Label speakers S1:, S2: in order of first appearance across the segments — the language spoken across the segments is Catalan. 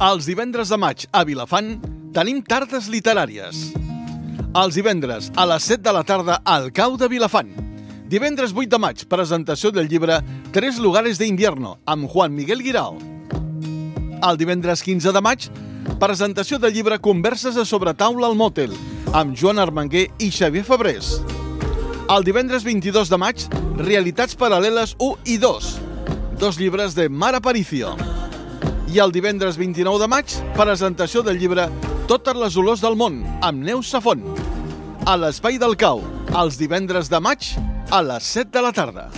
S1: Els divendres de maig a Vilafant tenim tardes literàries. Els divendres a les 7 de la tarda al Cau de Vilafant. Divendres 8 de maig, presentació del llibre Tres lugares de invierno amb Juan Miguel Guirao. El divendres 15 de maig, presentació del llibre Converses a sobretaula al Motel amb Joan Armanguer i Xavier Febrés. El divendres 22 de maig, Realitats paral·leles 1 i 2, dos llibres de Mar Aparicio. I el divendres 29 de maig, presentació del llibre Totes les olors del món, amb Neus Safont. A l'Espai del Cau, els divendres de maig, a les 7 de la tarda.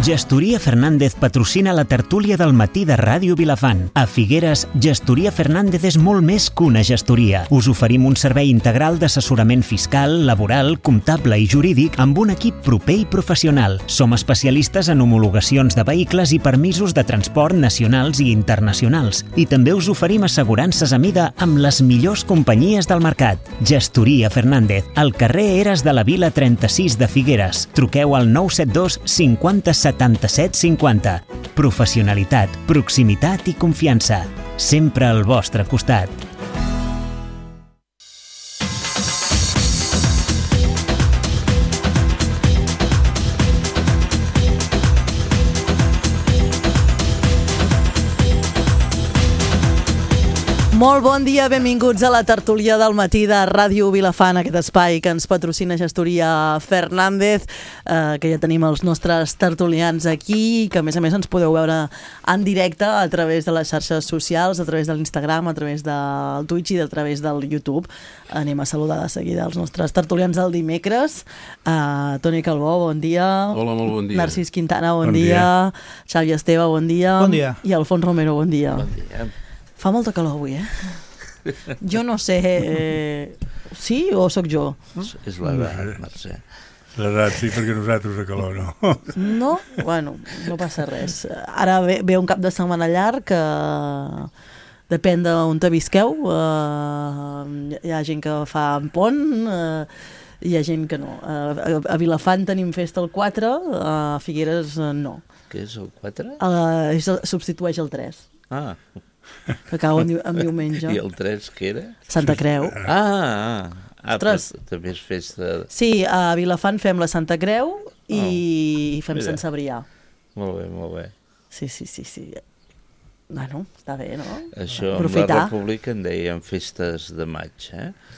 S2: Gestoria Fernández patrocina la tertúlia del matí de Ràdio Vilafant. A Figueres, Gestoria Fernández és molt més que una gestoria. Us oferim un servei integral d'assessorament fiscal, laboral, comptable i jurídic amb un equip proper i professional. Som especialistes en homologacions de vehicles i permisos de transport nacionals i internacionals. I també us oferim assegurances a mida amb les millors companyies del mercat. Gestoria Fernández, al carrer Eres de la Vila 36 de Figueres. Truqueu al 972 50 77 50. Professionalitat, proximitat i confiança. Sempre al vostre costat.
S3: Molt bon dia, benvinguts a la tertúlia del matí de Ràdio Vilafant, aquest espai que ens patrocina Gestoria Fernández, que ja tenim els nostres tertulians aquí, que a més ens podeu veure en directe a través de les xarxes socials, a través de l'Instagram, a través del Twitch i a través del YouTube. Anem a saludar de seguida els nostres tertulians del dimecres. Toni Calbó, bon dia.
S4: Hola, molt bon dia.
S3: Narcís Quintana, bon dia. Xavi Esteve, bon dia.
S5: Bon dia.
S3: I Alfons Romero, bon dia.
S4: Bon dia.
S3: Fa molta calor avui, Jo no sé... Sí o sóc jo?
S4: És l'edat, Mercè.
S5: L'edat, sí, perquè nosaltres a calor no.
S3: No? Bueno, no passa res. Ara ve un cap de setmana llarg que depèn d'on te visqueu. Hi ha gent que fa en pont, hi ha gent que no. A Vilafant tenim festa el 4, a Figueres no.
S4: Què és el 4?
S3: Substitueix el 3.
S4: Ah.
S3: Que cau en diumenge.
S4: I el 3 què era?
S3: Santa Creu.
S4: Però també és festa...
S3: Sí, a Vilafant fem la Santa Creu i fem Sant Cebrià.
S4: Molt bé, molt bé.
S3: Sí. Bueno, està bé, no?
S4: Això amb la República en deien festes de maig,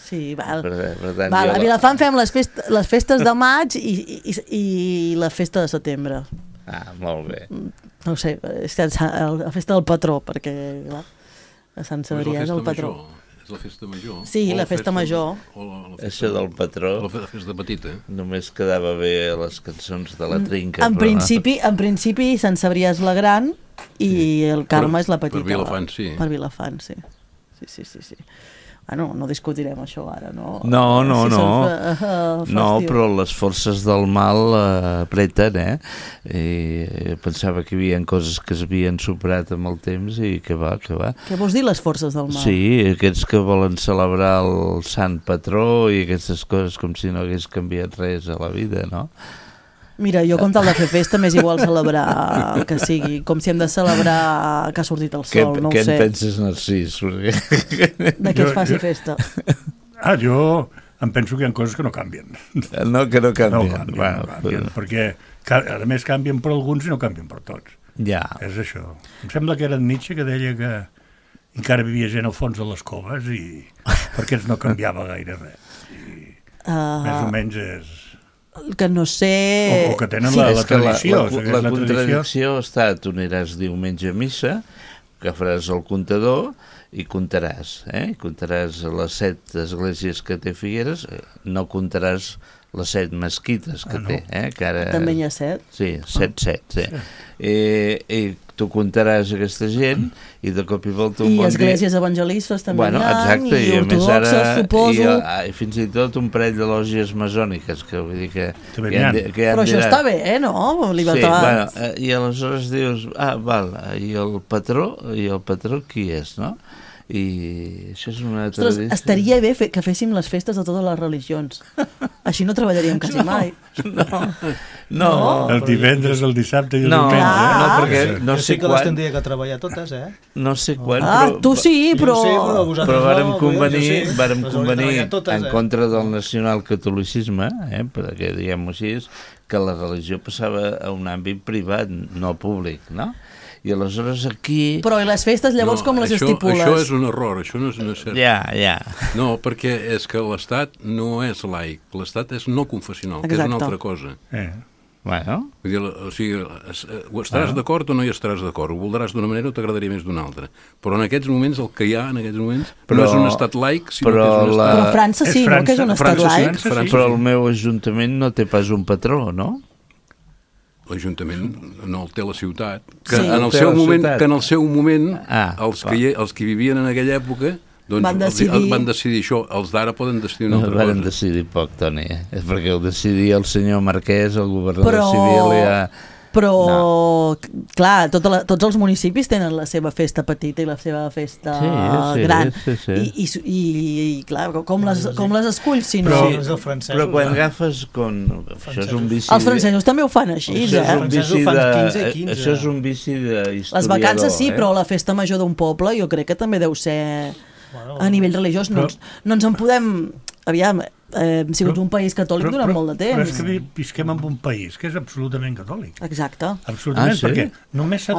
S3: Sí, val.
S4: Per tant,
S3: a Vilafant fem les festes de maig i la festa de setembre.
S4: Molt bé.
S3: No ho sé, és la festa del patró, perquè clar, a Sant Cebrià és el patró.
S4: És la festa major.
S3: Sí, la festa major.
S4: Això del patró.
S6: La festa petita.
S4: Només quedava bé les cançons de la trinca.
S3: En principi, Sant Cebrià és la gran i el Carme és la petita.
S6: Per Vilafant, sí.
S3: Per Vilafant, sí. Sí. Bueno, no discutirem això ara, no?
S4: No, però les forces del mal apreten, I pensava que hi havia coses que s'havien superat amb el temps i que va.
S3: Què vols dir, les forces del mal?
S4: Sí, aquests que volen celebrar el sant patró i aquestes coses com si no hagués canviat res a la vida, no?
S3: Mira, jo com tal de fer festa m'és igual celebrar que sigui, com si hem de celebrar que ha sortit el sol, no ho sé.
S4: Què en penses, Narcís?
S3: De què es faci festa?
S5: Jo em penso que hi ha coses que no canvien.
S4: No, que no canvien.
S5: No canvien, perquè a més canvien per alguns i no canvien per tots.
S4: Ja.
S5: És això. Em sembla que era Nietzsche que deia que encara vivia gent al fons de les coves i perquè no canviava gaire res. Més o menys és...
S3: Que no sé...
S5: O que tenen la tradició.
S4: La contradicció està, tu aniràs diumenge a missa, agafaràs el comptador i comptaràs, I comptaràs les 7 esglésies que té Figueres, no comptaràs les 7 mesquites que té, que ara...
S3: També hi ha 7?
S4: Sí, 7, sí. I tu comptaràs aquesta gent i de cop i volta
S3: I esglésies evangelistes també hi ha,
S4: exacte,
S3: i ortodoxes, suposo.
S4: I fins i tot un parell de lògies masòniques, que vull dir que
S3: però això està bé, no? Libertat.
S4: Sí, i aleshores dius, val, i el patró qui és, no? I això és una
S3: Ostres,
S4: tradició.
S3: estaria bé que féssim les festes de totes les religions. Així no treballaríem quasi mai.
S4: No.
S5: El divendres, el dissabte i el
S4: No,
S5: diumenge.
S4: no, perquè no
S6: Jo
S4: sé
S6: sí que les
S4: quan...
S6: tindria que treballar totes,
S4: No sé quan,
S3: Tu sí, però...
S6: Jo sí, però vosaltres
S4: però vàrem
S6: no,
S4: convenir,
S6: jo sí.
S4: vàrem
S6: Les hauria
S4: convenir
S6: treballat totes,
S4: en contra del nacionalcatolicisme, perquè diguem-ho així, que la religió passava a un àmbit privat, no públic, no? I aleshores aquí...
S3: Però i les festes llavors com les estipules?
S7: Això és un error, això no és cert.
S4: Ja.
S7: No, perquè és que l'Estat no és laic, l'Estat és no confessional, que és una altra cosa.
S4: Bueno.
S7: Vull dir, o sigui, o estaràs d'acord o no hi estaràs d'acord, ho voldràs d'una manera o t'agradaria més d'una altra. Però en aquests moments, el que hi ha en aquests moments, no és un estat laic, sinó que és un estat...
S3: Però França sí, no? Que és un estat laic.
S4: Però el meu ajuntament no té pas un patró, no?
S7: L'Ajuntament no el té la ciutat, que,
S3: Sí.
S7: en el seu moment els que vivien en aquella època doncs van decidir això, els d'ara poden decidir una altra cosa.
S4: Van decidir poc, Toni, perquè ho decidia el senyor Marquès, el governador civil, ja...
S3: Però, clar, tots els municipis tenen la seva festa petita i la seva festa gran.
S4: Sí.
S3: I clar, com les esculls, si no?
S4: Però quan agafes... Això és un vici...
S3: Els francesos també ho fan així,
S4: Això és un vici d'historiador.
S3: Les vacances sí, però la festa major d'un poble jo crec que també deu ser a nivell religiós. No ens en podem... Aviam, hem sigut un país catòlic durant molt de temps.
S5: Però és que visquem en un país que és absolutament catòlic.
S3: Exacte.
S5: Absolutament, perquè només s'ha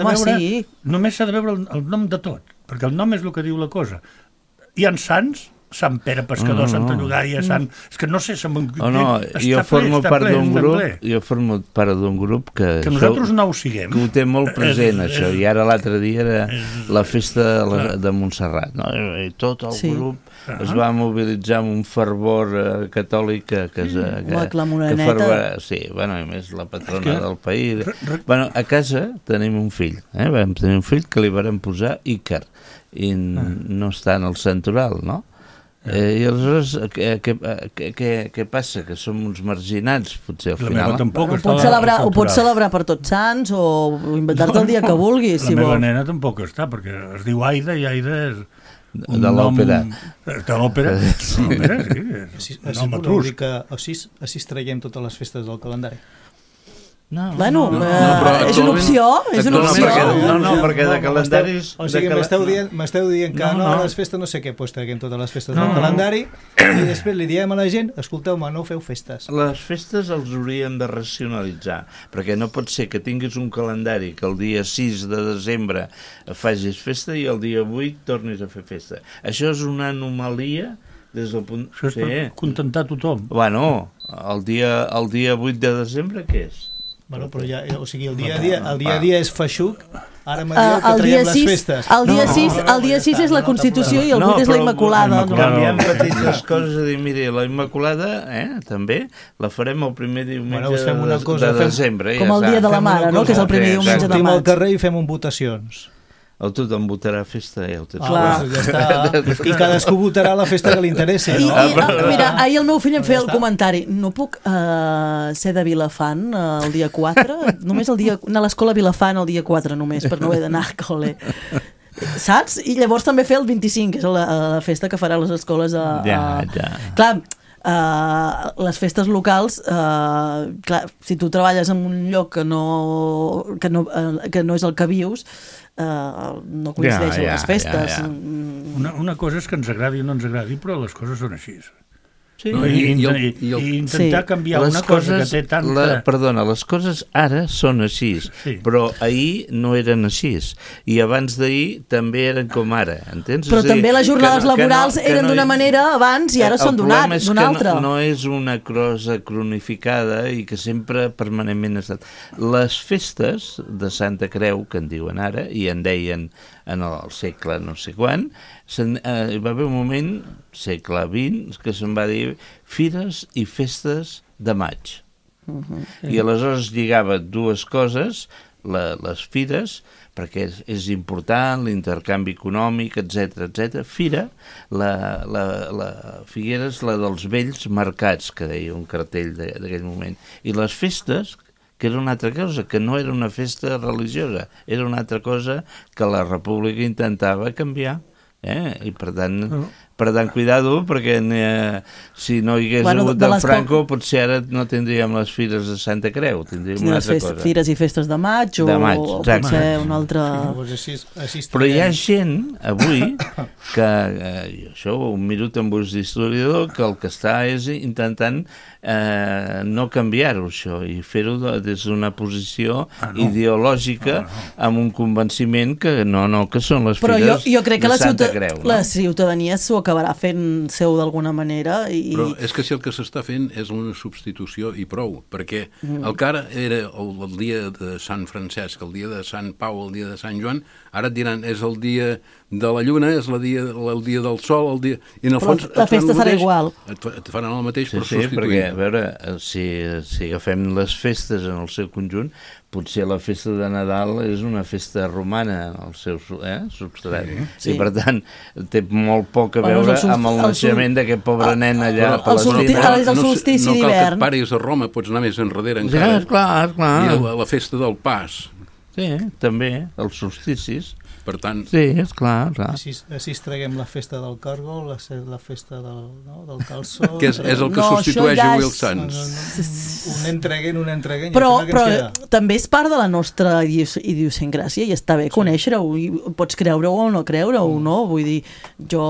S5: de veure el nom de tot, perquè el nom és el que diu la cosa. Hi ha sants, Sant Pere Pescador, Santa Llogaia, és que no sé...
S4: Jo formo part d'un grup que
S5: nosaltres no ho siguem.
S4: Que ho té molt present, això. I ara l'altre dia era la festa de Montserrat. I tot el grup es va mobilitzar amb un fervor catòlic que
S3: la Moreneta.
S4: Sí, bueno, a més la patrona del país. Bueno, a casa tenim un fill. Vam tenir un fill que li vàrem posar Ícar i no està en el santoral, no? I aleshores, què passa? Que som uns marginats, potser al final?
S3: Ho pots celebrar per Tots Sants o inventar-te el dia que vulguis, si vols.
S5: La meva nena tampoc està, perquè es diu Aida i Aida és...
S4: De l'òpera.
S5: De l'òpera, sí.
S6: Així es traiem totes les festes del calendari.
S3: Bueno, és una opció,
S4: No, perquè de calendaris...
S6: O sigui, m'esteu dient que no, les festes no sé què, doncs traguem totes les festes del calendari i després li diem a la gent, escolteu-me, no feu festes.
S4: Les festes els haurien de racionalitzar, perquè no pot ser que tinguis un calendari que el dia 6 de desembre facis festa i el dia 8 tornis a fer festa. Això és una anomalia des del punt...
S5: Això és per contentar tothom.
S4: Bueno, el dia 8 de desembre què és?
S6: Bueno, però ja, o sigui, el dia a dia és feixuc, ara me dieu que traiem les festes.
S3: El dia 6 és la Constitució i el 8 és la Immaculada.
S4: Canviem petites coses, a dir, miri, la Immaculada, també, la farem el primer diumenge de desembre.
S3: Com el dia de la Mare, no?, que és el primer diumenge de maig.
S6: Sortim al carrer i fem votacions.
S4: Tothom votarà festa i el temps.
S6: Ja està. I cadascú votarà la festa que li interessi.
S3: Mira, ahir el meu fill em feia el comentari, no puc ser de Vilafant el dia 4? Només anar a l'escola Vilafant el dia 4 només, per no haver d'anar a col·le. Saps? I llavors també fer el 25, que és la festa que farà les escoles Clar, les festes locals, clar, si tu treballes en un lloc que no és el que vius, no coincideix amb les festes.
S5: Una cosa és que ens agradi o no ens agradi, però les coses són així.
S4: Sí.
S5: I intentar canviar una cosa que té tanta...
S4: Perdona, les coses ara són així, però ahir no eren així, i abans d'ahir també eren com ara, entens?
S3: Però també les jornades laborals eren d'una manera abans i ara són d'una altra.
S4: El problema és que no és una cosa cronificada i que sempre permanentment ha estat. Les festes de Santa Creu, que en diuen ara, i en deien en el segle no sé quan, hi va haver un moment, segle XX, que se'n va dir Fires i Festes de Maig. I aleshores lligava dues coses, les fires, perquè és important, l'intercanvi econòmic, etc. Fira, la Figuera és la dels vells mercats, que deia un cartell d'aquell moment. I les festes, que era una altra cosa, que no era una festa religiosa, era una altra cosa que la República intentava canviar. I per tant, cuidado, perquè si no hi hagués hagut del Franco, potser ara no tindríem les fires de Santa Creu, tindríem una altra cosa.
S3: Fires i festes de maig, o potser una altra...
S4: Però hi ha gent, avui, que això ho miro amb ulls d'historiador, que el que està és intentant no canviar-ho, això, i fer-ho des d'una posició ideològica amb un convenciment que que són les fires de Santa Creu.
S3: La ciutadania s'ho acabarà fent seu d'alguna manera.
S7: Però és que si el que s'està fent és una substitució i prou, perquè el que ara era el dia de Sant Francesc, el dia de Sant Pau, el dia de Sant Joan, ara et diran és el dia de la lluna, és el dia del sol, el dia... I en el fons
S3: la festa serà igual.
S7: Et faran el mateix per
S4: substituir.
S7: Sí, perquè,
S4: a veure, si agafem les festes en el seu conjunt, potser la festa de Nadal és una festa romana en el seu substrat. I per tant, té molt poc a veure amb el naixement d'aquest pobre nen allà a Palestina.
S3: El solstici d'hivern.
S7: No cal que et paris a Roma, pots anar més enrere encara.
S4: Clar.
S7: I la festa del Pas.
S4: Sí, també, els solsticis.
S7: Per tant...
S4: Sí, és clar.
S6: Així traguem la festa del cargo, la festa del calçó...
S7: Que és el que substitueix a Will Sans.
S6: Un entreguen.
S3: Però també és part de la nostra idiosincràsia i està bé conèixer-ho. Pots creure-ho o no creure-ho, no? Vull dir, jo,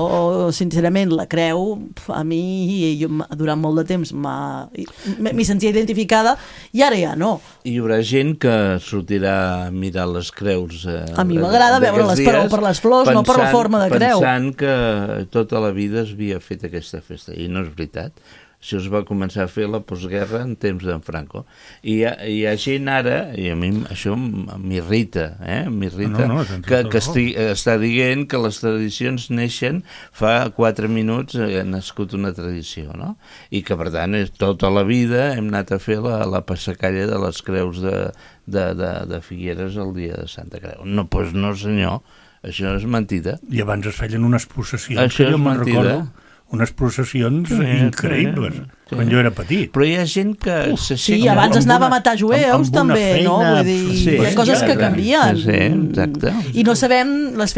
S3: sincerament, la creu, a mi, durant molt de temps, m'hi sentia identificada i ara ja no.
S4: Hi haurà gent que sortirà a mirar les creus...
S3: A mi m'agrada veure-les, però per les flors, no per la forma de creu.
S4: Pensant que tota la vida es havia fet aquesta festa, i no és veritat. Això es va començar a fer la postguerra en temps d'en Franco. I hi ha gent ara, i a mi això m'irrita, que està dient que les tradicions neixen fa 4 minuts ha nascut una tradició, no? I que per tant tota la vida hem anat a fer la passacalla de les creus de Figueres el dia de Santa Creu. No, doncs no senyor, això és mentida.
S5: I abans es feien unes processions, això jo me'n recordo. Unes processions increïbles, quan jo era petit.
S4: Però hi ha gent que...
S3: Sí, abans es anava a matar jueus, també, no? Vull dir, hi ha coses que canvien.
S4: Sí, exacte.
S3: I no sabem les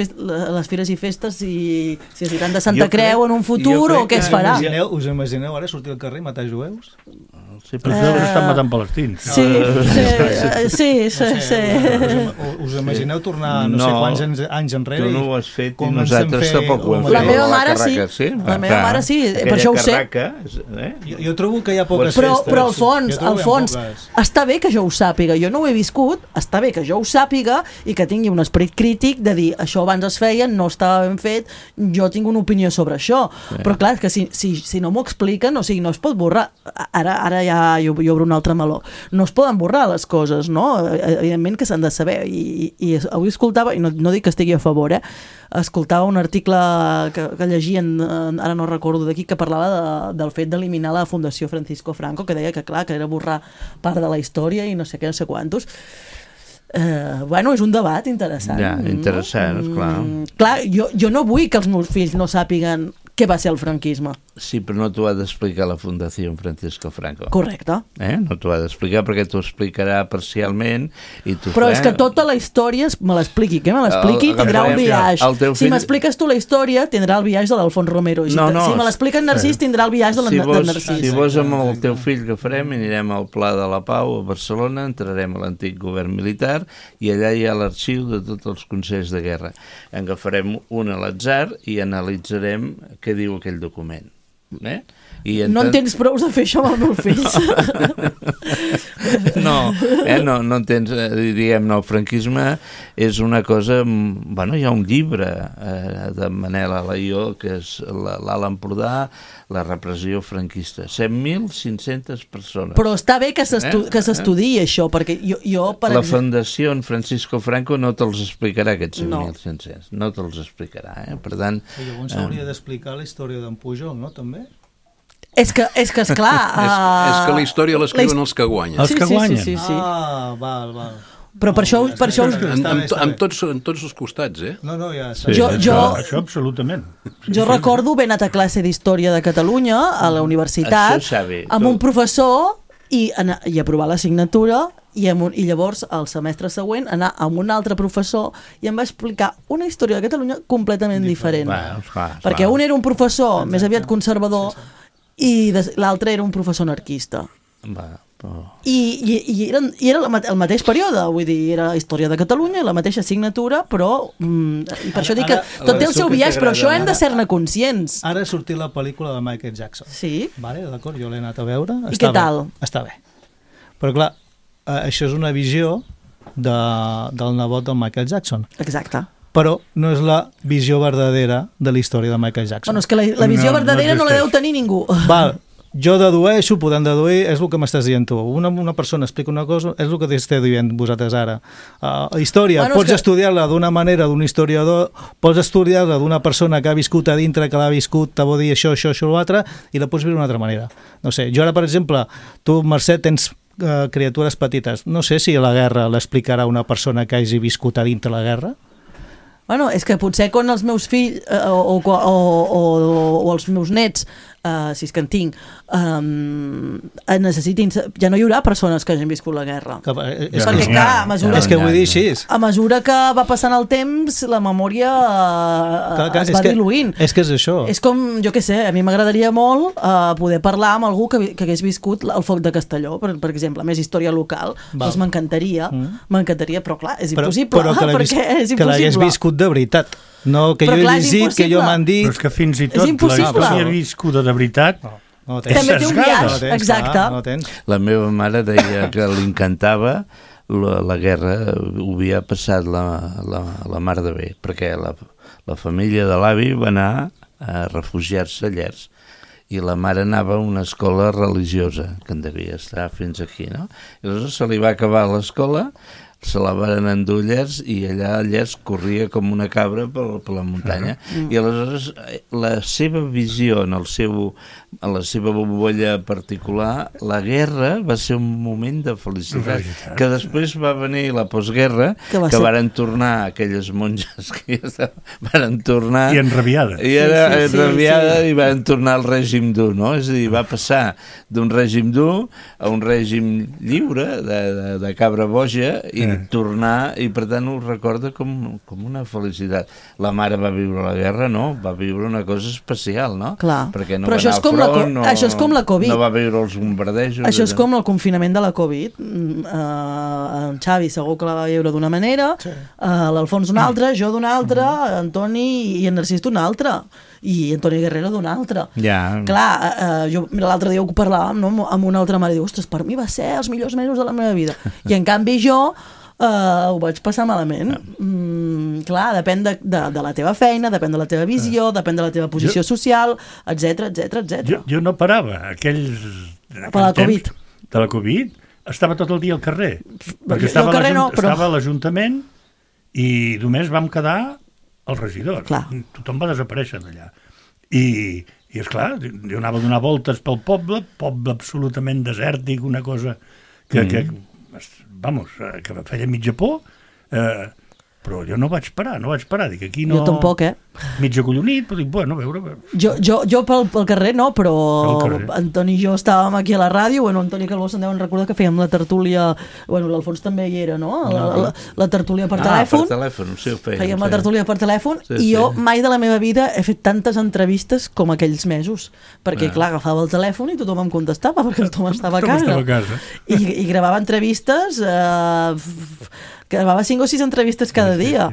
S3: fires i festes si es diran de Santa Creu en un futur o què es farà.
S6: Us imagineu ara sortir al carrer i matar jueus?
S5: Sí, però això estan matant palestins.
S3: Sí.
S6: Us imagineu tornar no sé quants anys enrere?
S4: Tu no ho has fet i nosaltres tampoc ho hem fet.
S3: La meva mare sí. La meva mare sí, per això ho sé.
S6: Jo trobo que hi ha poques festes.
S3: Però al fons, està bé que jo ho sàpiga. Jo no ho he viscut, està bé que jo ho sàpiga i que tingui un esperit crític de dir això abans es feia, no estava ben fet, jo tinc una opinió sobre això. Però clar, que si no m'ho expliquen, o sigui, no es pot borrar. Ara ja jo obro un altre meló. No es poden borrar les coses, no? Evidentment que s'han de saber. I avui escoltava, i no dic que estigui a favor, escoltava un article que llegien, ara no recordo d'aquí, que parlava del fet d'eliminar la Fundació Francisco Franco, que deia que clar, que era borrar part de la història i no sé què, no sé quantos. Bueno, és un debat interessant.
S4: Ja, interessant, clar.
S3: Clar, jo no vull que els meus fills no sàpiguen què va ser el franquisme.
S4: Sí, però no t'ho ha d'explicar la Fundació Francisco Franco.
S3: Correcte.
S4: No t'ho ha d'explicar perquè t'ho explicarà parcialment.
S3: Però és que tota la història me l'expliqui. Que me l'expliqui tindrà un biaix. Si m'expliques tu la història, tindrà el biaix de l'Alfons Romero. Si me l'explica en Narcís, tindrà el biaix de Narcís.
S4: Si vols amb el teu fill que farem, anirem al Pla de la Pau a Barcelona, entrarem a l'antic govern militar i allà hi ha l'arxiu de tots els consells de guerra. Agafarem un a l'atzar i analitzarem què diu aquell document.
S3: No en tens prou de fer això amb els meus fills.
S4: No entens, diguem, el franquisme és una cosa, bueno, hi ha un llibre de Manel Alaió que és l'Alt Empordà, la repressió franquista, 7.500 persones.
S3: Però està bé que s'estudiï això, perquè jo
S4: la Fundació Francisco Franco no te'ls explicarà aquests 7.500, no te'ls explicarà, per tant...
S6: Llavors s'hauria d'explicar la història d'en Pujol, no, també?
S3: És que esclar...
S7: És que la història l'escriuen els que guanyen.
S5: Els que guanyen.
S3: Sí.
S6: Val.
S3: Però per això...
S7: Amb tots els costats,
S6: No, ja...
S5: Això absolutament.
S3: Jo recordo haver anat a classe d'Història de Catalunya a la universitat amb un professor i aprovar l'assignatura i llavors el semestre següent anar amb un altre professor i em va explicar una història de Catalunya completament diferent. Perquè un era un professor més aviat conservador i l'altre era un professor anarquista. I era el mateix període, vull dir, era la història de Catalunya, la mateixa assignatura, però i per això dic que tot té el seu biaix, però això hem de ser-ne conscients.
S6: Ara ha sortit la pel·lícula de Michael Jackson.
S3: Sí.
S6: Vale, d'acord, jo l'he anat a veure.
S3: I què tal?
S6: Està bé. Però clar, això és una visió del nebot del Michael Jackson.
S3: Exacte.
S6: Però no és la visió verdadera de la història de Michael Jackson.
S3: Bueno, és que la visió verdadera no la deu tenir ningú.
S6: Val, jo dedueixo, podem deduir, és el que m'estàs dient tu. Una persona explica una cosa, és el que t'esteu dient vosaltres ara. Història, bueno, pots estudiar-la d'una manera d'un historiador, pots estudiar-la d'una persona que ha viscut a dintre, que l'ha viscut, te vol dir això, l'altre, i la pots viure d'una altra manera. No sé, jo ara, per exemple, tu, Mercè, tens criatures petites. No sé si la guerra l'explicarà una persona que hagi viscut a dintre la guerra.
S3: Bueno, és que potser quan els meus fills o els meus nets, si és que en tinc, necessitin... Ja no hi haurà persones que hagin viscut la guerra. Perquè, clar, a mesura...
S6: És que vull dir així.
S3: A mesura que va passant el temps, la memòria es va diluint.
S6: És que és això.
S3: És com, jo què sé, a mi m'agradaria molt poder parlar amb algú que hagués viscut el foc de Castelló, per exemple, més història local. Doncs m'encantaria, però clar, és impossible. Perquè és impossible.
S6: Que l'hagués viscut de veritat. No, que jo he llegit, que jo m'han dit...
S5: Però és que fins i tot la història viscuda de veritat
S3: també té un biaix, exacte.
S4: La meva mare deia que li encantava la guerra, ho havia passat la mar de bé, perquè la família de l'avi va anar a refugiar-se a Llers i la mare anava a una escola religiosa, que en devia estar fins aquí, no? I aleshores se li va acabar l'escola, se la van endur a Llers i allà a Llers corria com una cabra per la muntanya. I aleshores la seva visió en la seva bombolla particular, la guerra va ser un moment de felicitat, que després va venir la postguerra, que varen tornar aquelles monges que ja varen tornar
S5: i enrabiades
S4: i varen tornar al règim dur, no? És a dir, va passar d'un règim dur a un règim lliure de cabra boja i tornar, i per tant ho recorda com una felicitat. La mare va viure la guerra, no? Va viure una cosa especial, no?
S3: Clar.
S4: Perquè no va anar al front,
S3: això és com la Covid.
S4: No va viure els bombardejos.
S3: Això és com el confinament de la Covid. En Xavi segur que la va viure d'una manera, l'Alfons d'una altra, jo d'una altra, Antoni i en Narcís d'una altra, i Antoni Guerrero d'una altra. Clar, l'altre dia ho parlàvem, no? Amb una altra mare, diu, ostres, per mi va ser els millors mesos de la meva vida. I en canvi jo ho vaig passar malament. Clar, depèn de la teva feina, depèn de la teva visió, depèn de la teva posició social, etc.
S5: Jo no parava aquells temps de la Covid, estava tot el dia al carrer, perquè estava a l'Ajuntament i només vam quedar el regidor. Tothom va desaparèixer d'allà. I esclar, jo anava a donar voltes pel poble absolutament desèrtic, una cosa que feia mitja por, però jo no vaig parar, dic, aquí no...
S3: Jo tampoc,
S5: Mig acollonit, però dic, bueno, a veure...
S3: Jo pel carrer no, però Antoni i jo estàvem aquí a la ràdio, Antoni Calbó se'n deuen recordar que fèiem la tertúlia, l'Alfons també hi era, no? La tertúlia per telèfon.
S4: Per telèfon, sí, ho fèiem.
S3: Fèiem la tertúlia per telèfon i jo mai de la meva vida he fet tantes entrevistes com aquells mesos, perquè clar, agafava el telèfon i tothom em contestava, perquè tothom estava a casa. I gravava entrevistes... gravava 5 o 6 entrevistes cada dia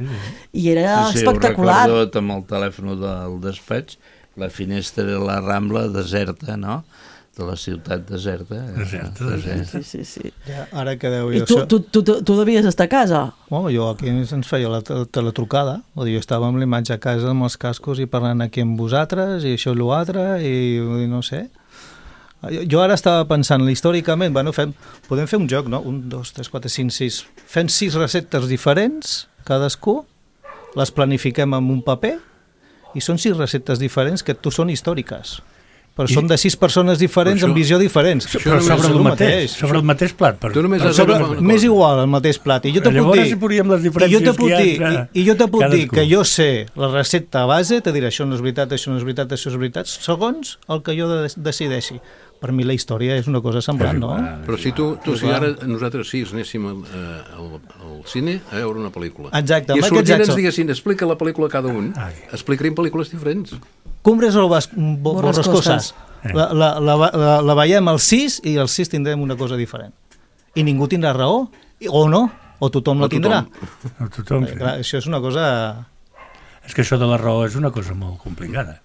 S3: i era espectacular.
S4: Ho recordo amb el telèfon del despatx, la finestra de la Rambla deserta, no? De la ciutat deserta.
S3: Sí.
S6: Ja, ara que deu...
S3: I tu devies estar a casa?
S6: Jo aquí ens feia la teletrucada, jo estava amb l'imatge a casa amb els cascos i parlant aquí amb vosaltres i això i l'altre i no sé... Jo ara estava pensant, històricament, podem fer un joc, no? 1, 2, 3, 4, 5, 6... Fem 6 receptes diferents, cadascú, les planifiquem en un paper, i són 6 receptes diferents que són històriques. Però són de 6 persones diferents amb visió diferents.
S5: Però sobre el mateix plat.
S6: Més igual, el mateix plat. I jo te puc dir que jo sé la recepta base, te diré això no és veritat, això no és veritat, això és veritat, segons el que jo decideixi. per mi la història és una cosa semblant, no?
S7: Però si ara nosaltres anéssim al cine a veure una pel·lícula.
S6: Exacte.
S7: I a sortir ens diguessin, explica la pel·lícula cada un, explicaríem pel·lícules diferents.
S6: Cumbres o Borrascosas. La veiem al 6 i al 6 tindrem una cosa diferent. I ningú tindrà raó, o no, o tothom la tindrà.
S5: Tothom, sí.
S6: Clar, això és una cosa...
S5: És que això de la raó és una cosa molt complicada.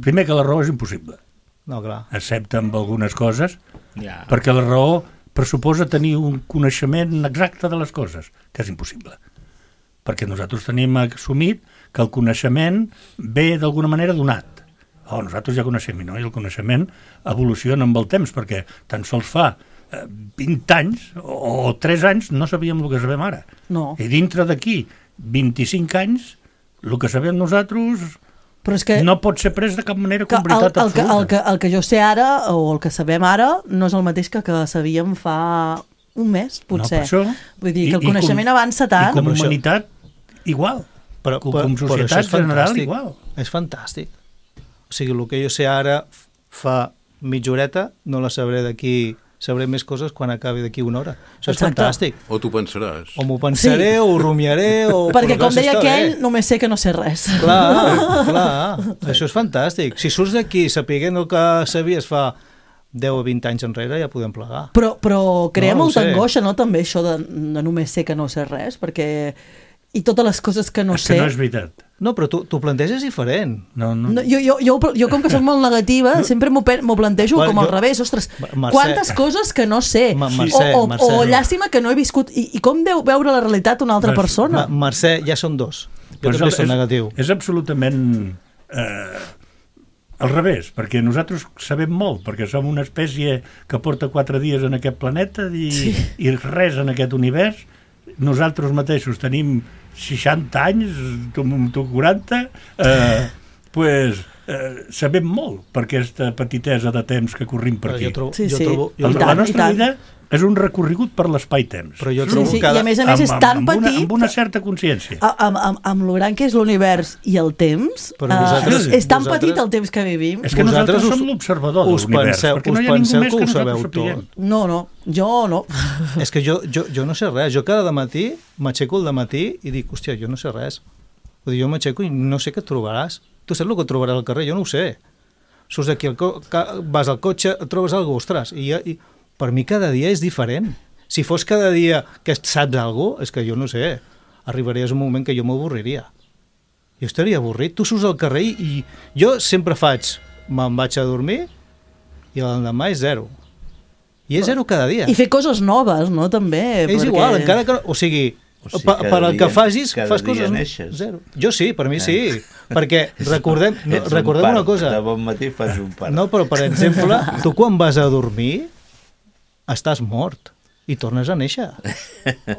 S5: Primer que la raó és impossible.
S6: No, clar.
S5: Excepte amb algunes coses, perquè la raó pressuposa tenir un coneixement exacte de les coses, que és impossible. Perquè nosaltres tenim assumit que el coneixement ve d'alguna manera donat. Nosaltres ja coneixem, no? I el coneixement evoluciona amb el temps, perquè tan sols fa 20 anys o 3 anys no sabíem el que sabem ara.
S3: No.
S5: I dintre d'aquí 25 anys, el que sabem nosaltres...
S3: Però és que
S5: no pot ser pres de cap manera com veritat absoluta.
S3: El que jo sé ara, o el que sabem ara, no és el mateix que sabíem fa un mes, potser.
S5: No, per això,
S3: vull dir que el coneixement avança tant.
S5: I com humanitat, igual. Com societat general, igual.
S6: És fantàstic. O sigui, el que jo sé ara fa mitja horeta, no la sabré d'aquí... Sabré més coses quan acabi d'aquí una hora. Això és fantàstic.
S7: O t'ho pensaràs.
S6: O m'ho pensaré, o ho rumiaré, o...
S3: Perquè, com deia aquell, només sé que no sé res.
S6: Clar. Això és fantàstic. Si surts d'aquí sapiguent el que sabies fa 10 o 20 anys enrere, ja podem plegar.
S3: Però crea molta angoixa, no?, també, això de només sé que no sé res, perquè... I totes les coses que no sé...
S5: És que no és veritat.
S6: No, però tu planteges diferent.
S3: No, jo com que soc molt negativa, sempre m'ho plantejo com al revés. Ostres, quantes coses que no sé. O llàstima que no he viscut. I com deu veure la realitat una altra persona?
S6: Mercè, ja són dos. Jo també soc negatiu.
S5: És absolutament al revés, perquè nosaltres sabem molt, perquè som una espècie que porta 4 dies en aquest planeta i res en aquest univers. Nosaltres mateixos tenim 60 anys, tu 40, sabem molt per aquesta petitesa de temps que corrim per aquí. La nostra vida és un recorregut per l'espai-temps.
S6: Però jo trobo
S3: que... I a més és tan petit...
S5: Amb una certa consciència.
S3: Amb lo gran que és l'univers i el temps, és tan petit el temps que vivim.
S5: És que nosaltres som l'observador de l'univers, perquè no hi ha ningú més que nosaltres sapiguem.
S3: No, jo no.
S6: És que jo no sé res. Jo cada matí m'aixeco al dematí i dic, hòstia, jo no sé res. Jo m'aixeco i no sé què et trobaràs. Tu saps el que et trobaràs al carrer? Jo no ho sé. Surts d'aquí, vas al cotxe, et trobes alguna cosa, ostres, i per mi cada dia és diferent. Si fos cada dia que saps alguna cosa, és que jo no sé, arribaries a un moment que jo m'avorriria. Jo estaria avorrit. Tu surts al carrer i jo sempre me'n vaig a dormir i l'endemà és 0. I és 0 cada dia.
S3: I fer coses noves, no?, també.
S6: És igual, encara que... O sigui per al que facis, fas coses...
S4: Neixes.
S6: 0. Jo sí, per mi sí. Perquè recordem una cosa.
S4: De bon matí fas un part.
S6: No, però per exemple, tu quan vas a dormir estàs mort i tornes a néixer.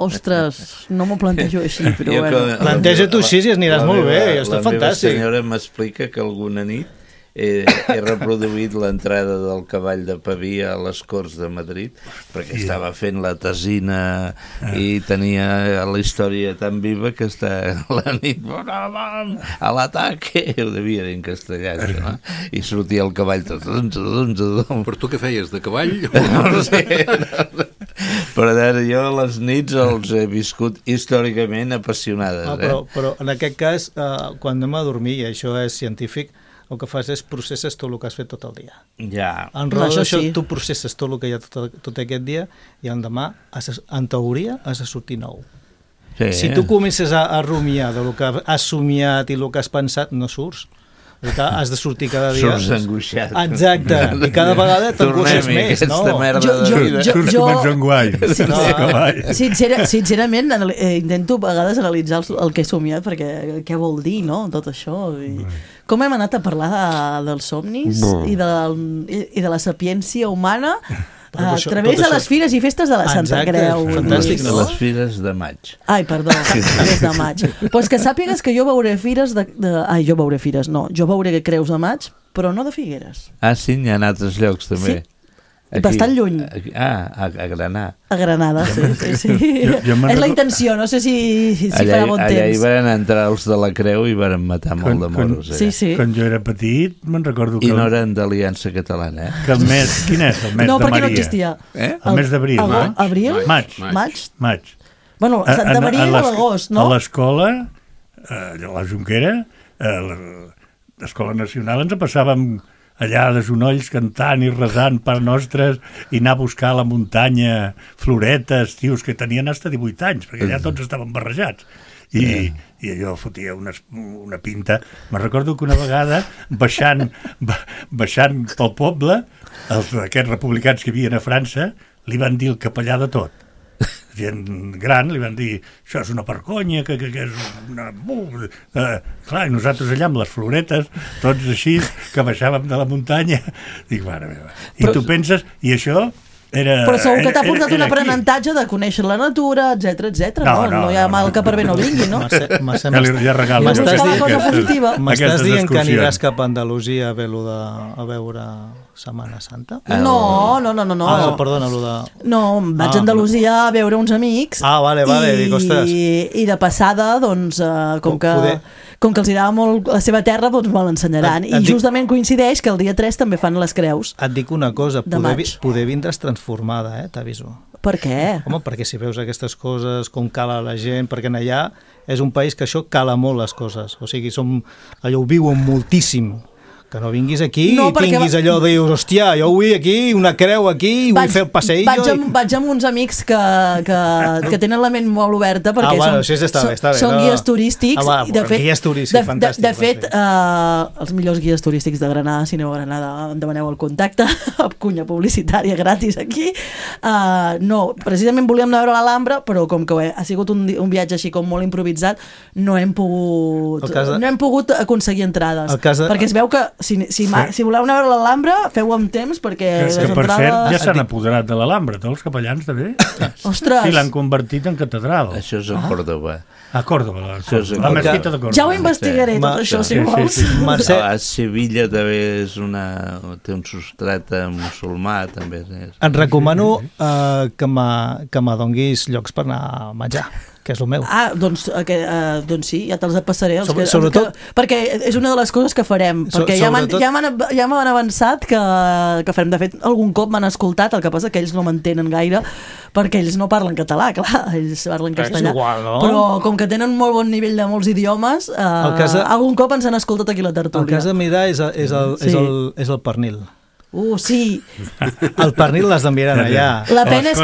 S3: Ostres, no m'ho plantejo així, però bueno.
S6: Planteja-t'ho així i aniràs molt bé, està fantàstic.
S4: La meva senyora m'explica que alguna nit he reproduït l'entrada del cavall de Pavia a les Corts de Madrid, perquè estava fent la tesina i tenia la història tan viva que està la nit a l'ataque, ho devia dir en castellà, no? I sortia el cavall.
S7: Però tu què feies, de cavall?
S4: No sé, però jo les nits els he viscut històricament apassionades.
S6: Però en aquest cas, quan anem a dormir, i això és científic, el que fas és processes tot el que has fet tot el dia.
S4: Ja.
S6: En raó d'això, tu processes tot el que hi ha tot aquest dia i l'endemà, en teoria, has de sortir nou.
S4: Sí.
S6: Si tu comences a rumiar del que has somiat i el que has pensat, no surts. Has de sortir cada dia.
S4: Surts angoixat.
S6: Exacte. I cada vegada t'angoixes més, no?
S5: Surts com en Joan Guai.
S3: Sincerament, intento a vegades analitzar el que he somiat, perquè què vol dir, no?, tot això. Com hem anat a parlar dels somnis i de la sapiència humana a través de les fires i festes de la Santa Creu.
S6: Fantàstic,
S4: no? Les fires de maig.
S3: Ai, perdó, fires de maig. Pues que sàpigues que jo veuré fires jo veuré fires, no. Jo veuré creus de maig, però no de Figueres.
S4: Ah, sí? N'hi ha altres llocs, també.
S3: Sí. Bastant lluny.
S4: A Granada.
S3: A Granada, sí. És la intenció, no sé si farà bon temps.
S4: Allà hi van entrar els de la Creu i van matar molt de moros.
S3: Sí.
S5: Quan jo era petit, me'n recordo que...
S4: I no eren d'Aliança Catalana,
S5: Que el mes... Quin és? El mes de Maria?
S3: No, perquè no existia.
S5: El mes d'abril.
S3: Abril?
S5: Maig.
S3: Bueno, Santa Maria a l'agost, no?
S5: A l'escola, a la Jonquera, a l'Escola Nacional, ens passàvem allà de genolls cantant i resant per nostres i anar a buscar a la muntanya floretes, tios que tenien hasta 18 anys, perquè allà tots estaven barrejats. I allò fotia una pinta. Me'n recordo que una vegada, baixant pel poble, aquests republicans que hi havia a França, li van dir el capellà de tot. Gent gran, li van dir, això és una vergonya, que és una... clar, i nosaltres allà amb les floretes, tots així, que baixàvem de la muntanya, dic, mare meva. I tu penses, i això era...
S3: Però segur que t'ha portat un aprenentatge de conèixer la natura, etc. No hi ha mal que per bé no vingui, no?
S6: M'estàs dient que aniràs cap a Andalusia a veure Setmana Santa?
S3: No.
S6: Perdona,
S3: No, vaig a Andalusia a veure uns amics.
S6: Vale, dic, ostres.
S3: I de passada, doncs, com que els agrada molt la seva terra, doncs me l'ensenyaran. I justament coincideix que el dia 3 també fan les creus.
S6: Et dic una cosa, poder vindre's transformada, t'aviso.
S3: Per què?
S6: Home, perquè si veus aquestes coses, com cala la gent, perquè allà és un país que això cala molt les coses. O sigui, allò ho viuen moltíssim. Que no vinguis aquí i tinguis allò de dir, hòstia, jo vull aquí, una creu aquí, vull fer el passeillo...
S3: Vaig amb uns amics que tenen la ment molt oberta perquè són guies turístics.
S6: Guies turístics, fantàstic.
S3: De fet, els millors guies turístics de Granada, si aneu a Granada, em demaneu el contacte, cunya publicitària gratis aquí. No, precisament volíem anar a veure l'Alhambra, però com que ha sigut un viatge així com molt improvisat, no hem pogut aconseguir entrades. Perquè es veu que si voleu anar a veure l'Alhambra, feu amb temps, perquè les entrades...
S5: Que per cert ja s'han apoderat de l'Alhambra, tots els capellans també.
S3: Ostres!
S5: Sí, l'han convertit en catedral.
S4: Això és a Còrdova.
S5: A Còrdova, la mesquita de Còrdova.
S3: Ja ho investigaré, tot això, si vols.
S4: A Sevilla també té un substrat musulmà, també.
S6: Et recomano que m'adonguis llocs per anar a menjar, que és el meu.
S3: Doncs sí, ja te'ls passaré. Sobretot... Perquè és una de les coses que farem, perquè ja m'han avançat que farem. De fet, algun cop m'han escoltat, el que passa que ells no m'entenen gaire, perquè ells no parlen català, clar, ells parlen castellà.
S6: Igual, no?
S3: Però com que tenen molt bon nivell de molts idiomes, algun cop ens han escoltat aquí a la tertúlia.
S6: El que has de mirar és el pernil.
S3: Sí.
S6: El pernil les enviaran allà.
S3: La pena és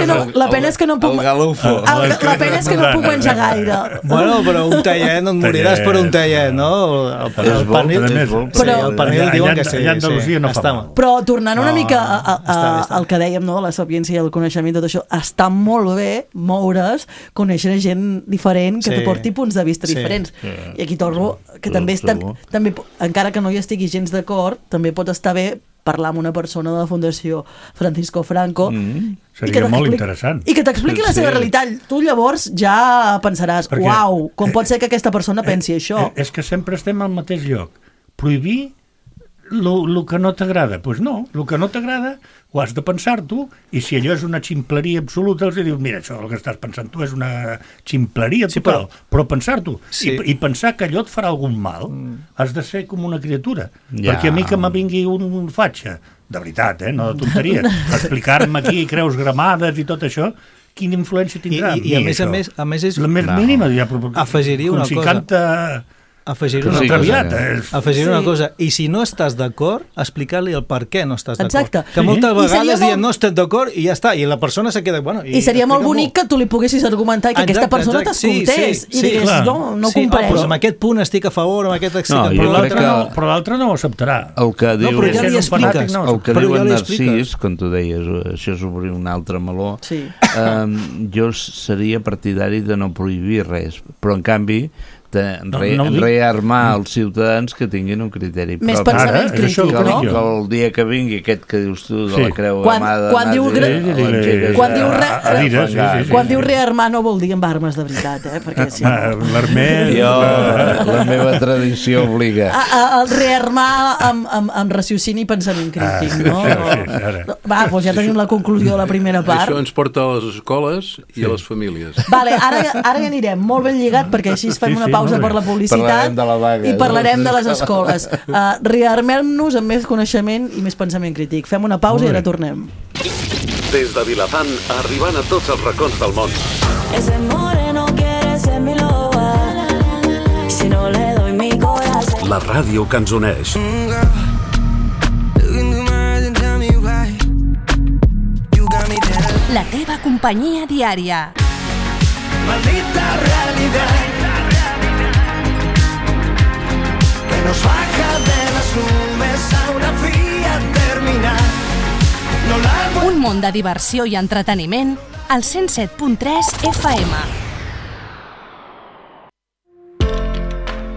S3: que no puc...
S4: El galufo.
S3: La pena és que no puc menjar gaire.
S6: Bueno, però un tallet, no et moriràs per un tallet, no? El pernil... El pernil diuen que sí.
S3: Però tornant una mica al que dèiem, no? La sapiència i el coneixement, tot això, està molt bé moure's, conèixer gent diferent que te porti punts de vista diferents. I aquí torno, que també encara que no hi estigui gens d'acord, també pot estar bé parlar amb una persona de la Fundació Francisco Franco
S5: seria molt interessant
S3: i que t'expliqui la seva realitat. Tu llavors ja pensaràs, uau, com pot ser que aquesta persona pensi això?
S5: És que sempre estem al mateix lloc. Prohibir el que no t'agrada. Doncs no, el que no t'agrada ho has de pensar tu, i si allò és una ximpleria absoluta, els dius, mira, això el que estàs pensant tu és una ximpleria total, però pensar tu, i pensar que allò et farà algun mal, has de ser com una criatura, perquè a mi que me vingui un fatxa, de veritat, no de tonteria, explicar-me aquí creus gramades i tot això, quina influència tindrà?
S6: I a més és...
S5: La més mínima,
S6: afegiria una cosa. Afegir una cosa, i si no estàs d'acord, explicar-li el per què no estàs d'acord.
S3: Exacte.
S6: Que moltes vegades dient no estem d'acord i ja està, i la persona se queda...
S3: I seria molt bonic que tu li poguessis argumentar i que aquesta persona t'escoltés i digués, no ho compreix.
S6: Però amb aquest punt estic a favor, amb aquest estic a
S5: favor, però l'altre no ho acceptarà.
S4: El que diu en Narcís, com tu deies, això és obrir un altre meló, jo seria partidari de no prohibir res, però en canvi rearmar els ciutadans que tinguin un criteri propi.
S3: Més pensament crític, no?
S4: Que el dia que vingui aquest que dius tu de la creu amada...
S3: Quan diu rearmar no vol dir amb armes de veritat, perquè si no...
S5: L'armel...
S4: La meva tradició obliga.
S3: El rearmar amb raciocini i pensament crític, no? Va, doncs ja tenim la conclusió de la primera part.
S7: Això ens porta a les escoles i a les famílies.
S3: Vale, ara ja anirem molt ben lligat, perquè així fem una pausa per la publicitat i parlarem de les escoles. Rearmem-nos amb més coneixement i més pensament crític. Fem una pausa i ara tornem.
S8: Des de Vilafant, arribant a tots els racons del món.
S9: Ese moreno quiere ser mi loba. Si no le doy mi corazón.
S8: La ràdio que ens uneix.
S10: La teva companyia diària.
S9: Maldita realidad que nos baja de las nubes a una fría terminal.
S10: Un món de diversió i entreteniment al 107.3 FM.